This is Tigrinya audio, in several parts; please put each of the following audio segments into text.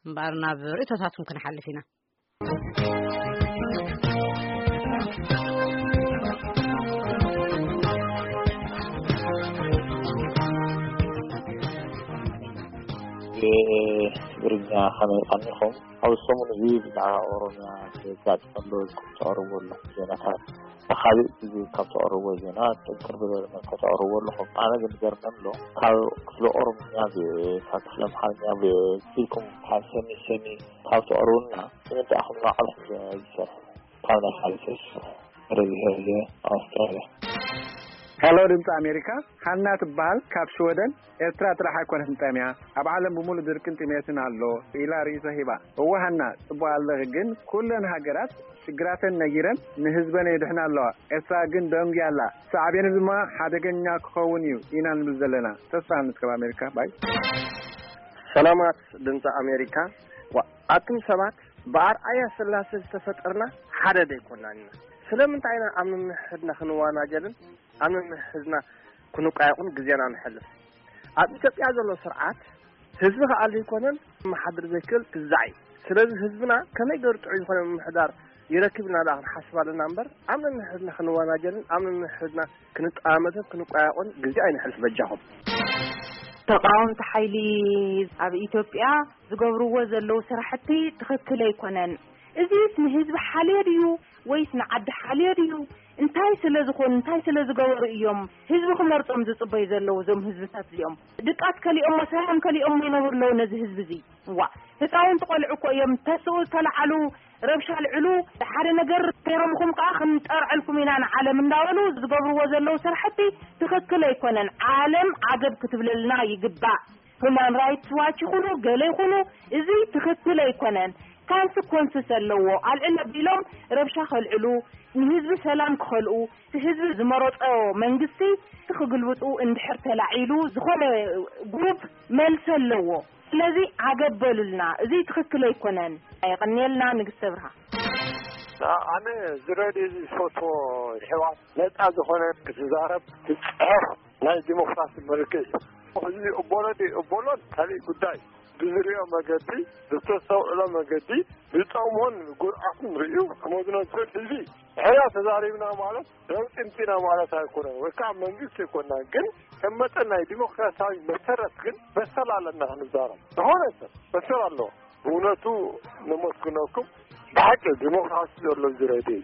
እምበኣር ናብ ርእቶታትኩም ክንሓልፍ ኢና። ትግርኛ ከመይ ቀኒኹም? ኣብ ሰሙን እዚ ብዛዕባ ኦሮምያ ዘጋጥም ዘሎ ኢልኩም ተቕርቡ ኣለኹም ዜናታት፣ ብኻሊእ ግዜ ካብ ተቕርብዎ ዜና ጥንቅር ብዝበለ መልክዕ ተቕርቡ ኣለኹም። ኣነ ግን ዝገርመኒ ኣሎ፣ ካብ ክፍሊ ኦሮምኛ ብ-፣ ካብ ክፍሊ ኣምሓርኛ ብ-፣ ኢልኩም ካብ ሰሚ ሰሚ ካብ ተቕርቡና፣ ንምንታይ ኢኹም ንባዕልኹም ዘ-፣ ዝሰርሑ? ካብ ናይ ካልእ ሰብ ዝሰርሑ? ርዝሀ ኣውስትራልያ። ሄሎ ድምፂ ኣሜሪካ፣ ሃና ትበሃል፣ ካብ ሽወደን። ኤርትራ ጥራሕ ኣይኮነትን ጠምያ፣ ኣብ ዓለም ብምሉእ ድርቅን ጥሜትን ኣሎ ኢላ ርእይቶ ሂባ። እወ ሃና፣ ጽቡቕ ኣለኺ፣ ግን ኩለን ሃገራት ሽግራተን ነጊረን ንህዝበን የድሕና ኣለዋ። ኤርትራ ግን ደንጉያ ኣላ። ሳዕቤኑ ድማ ሓደገኛ ክኸውን እዩ ኢና ንብል ዘለና። ተስፋ ሃንስ ካብ ኣሜሪካ። ባይ። ሰላማት ድምፂ ኣሜሪካ። ዋ፣ ኣቱም ሰባት ብኣርኣያ ስላሴ ዝተፈጠርና ሓደ ደይኮናን ኢና። ስለምንታይ ኢና ኣብ ነንሕድና ክንዋናጀልን ኣብ ነንሕድና ክንቋየቑን ግዜና ንሕልፍ? ኣብ ኢትዮጵያ ዘሎ ስርዓት ህዝቢ ክኣሊ ኣይኮነን፣ መሓድር ዘይክእል ግዛዕ እዩ። ስለዚ ህዝብና ከመይ ገይሩ ጥዑይ ዝኾነ ምምሕዳር ይረክብ ኢና ደኣ ክንሓስብ ኣለና እምበር፣ ኣብ ነንሕድና ክንወናጀልን ኣብ ነንሕድና ክንጠማመትን ክንቋየቑን ግዜ ኣይንሕልፍ በጃኹም። ተቃወምቲ ሓይሊ ኣብ ኢትዮጵያ ዝገብርዎ ዘለዉ ስራሕቲ ትኽክል ኣይኮነን። እዚስ ንህዝቢ ሓልዮ ድዩ ወይስ ንዓዲ ሓልዮ ድዩ? እንታይ ስለ ዝኾኑ፣ እንታይ ስለ ዝገበሩ እዮም ህዝቢ ክመርጾም ዝጽበዩ ዘለዉ? እዞም ህዝብታት እዚኦም ድቃስ ከሊኦሞ፣ ሰላም ከሊኦሞ ይነብሩ ኣለዉ ነዚ ህዝቢ እዚ። እዋ፣ ህፃውንቲ ቆልዑ እኮ እዮም ተስኡ፣ ተለዓሉ፣ ረብሻ ኣልዕሉ፣ ሓደ ነገር ነይሮምኹም ከዓ ክንጠርዐልኩም ኢና ንዓለም እንዳበሉ ዝገብርዎ ዘለዉ ስራሕቲ ትኽክል ኣይኮነን። ዓለም ዓገብ ክትብለልና ይግባእ። ሁማን ራይትስ ዋች ይኹኑ ገለ ይኹኑ እዚ ትኽክል ኣይኮነን። ካንስኮንስስ ኣለዎ። ኣልዕል ኣቢሎም ረብሻ ከልዕሉ፣ ንህዝቢ ሰላም ክኸልኡ፣ እቲ ህዝቢ ዝመረጾ መንግስቲ ክግልብጡ እንድሕር ተላዒሉ ዝኾነ ግሩፕ መልሲ ኣለዎ። ስለዚ ዓገብ በሉልና፣ እዚ ትኽክል ኣይኮነን። የቐንየልና ንግስተ ብርሃ። ኣነ ዝረድ ዝፈትዎ ሕዋት ነፃ ዝኾነ ክትዛረብ ትፅሕፍ ናይ ዲሞክራሲ መልክዕ እዩ። እዚ እቦሎ ዲ እቦሎን ካሊእ ጉዳይ፣ ብዝሪኦ መገዲ፣ ብተስተውዕሎ መገዲ ዝጠቕሞን ጉድኣቱን ርእዩ ክመዝኖ ዝኽእል ህዝቢ እዩ። ሕያ ተዛሪብና ማለት ለውጢ ምፂና ማለት ኣይኮነን፣ ወይ ከዓ መንግስቲ ኣይኮንና። ግን ከም መጠን ናይ ዲሞክራሲያዊ መሰረት ግን መሰል ኣለና ክንዛረብ። ዝኾነ ሰብ መሰል ኣለዎ። ብእውነቱ ነመስግነኩም። ብሓቂ ዲሞክራሲ ዘሎ ዝረድ እዩ።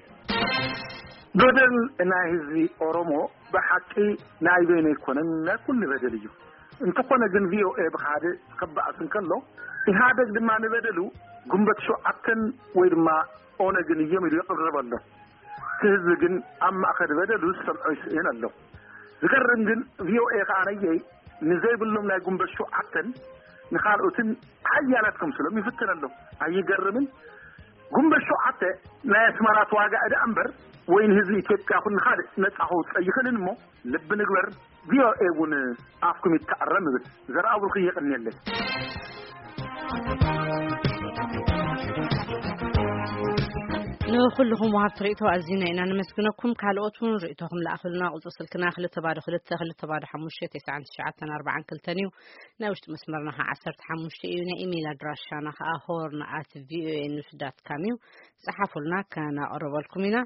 በደል ናይ ህዝቢ ኦሮሞ ብሓቂ ናይ በይኑ ኣይኮነን፣ ናይ ኩሉ በደል እዩ። እንተኾነ ግን ቪኦኤ ብሓደ ክበኣስ እንከሎ፣ ኢህኣደግ ድማ ንበደሉ ጉንበት ሸውዓተን ወይ ድማ ኦነግን እዮም ኢሉ የቕርብ ኣሎ። እቲ ህዝቢ ግን ኣብ ማእከል በደሉ ዝሰምዖ ይስእን ኣሎ። ዝገርም ግን ቪኦኤ ከኣ ነየይ ንዘይብሎም ናይ ጉንበት ሸውዓተን ንኻልኦትን ሓያላት ከምስሎም ይፍትን ኣሎ። ኣይገርምን? ጉንበት ሸውዓተ ናይ ኣስመራ ተዋጋኢ ደኣ እምበር ወይ ንህዝቢ ኢትዮጵያ ይኹን ንኻልእ ነጻ ከውጽእ ኣይኽእልን እሞ ልቢ ንግበር። ቪኦኤ እውን ኣፍኩም ይተኣረም እብል። ዘርኣብሩኽ የቐንየለይ። ንኹልኹም ወሃብቲ ርእይቶ ኣዚና ኢና ነመስግነኩም። ካልኦት እውን ርእይቶኹም ለኣኹልና። ቁጽሪ ስልክና ክልተ ባዶ ክልተ ክልተ ባዶ ሓሙሽተ ተስዓን ትሽዓተን ኣርባዓን ክልተን እዩ። ናይ ውሽጢ መስመርና ከዓ ዓሰርተ ሓሙሽተ እዩ። ናይ ኢሜይል ኣድራሻና ከዓ ሆርን ኣት ቪኦኤ ኒውስ ዳት ካም እዩ። ጸሓፉልና፣ ከናቕርበልኩም ኢና።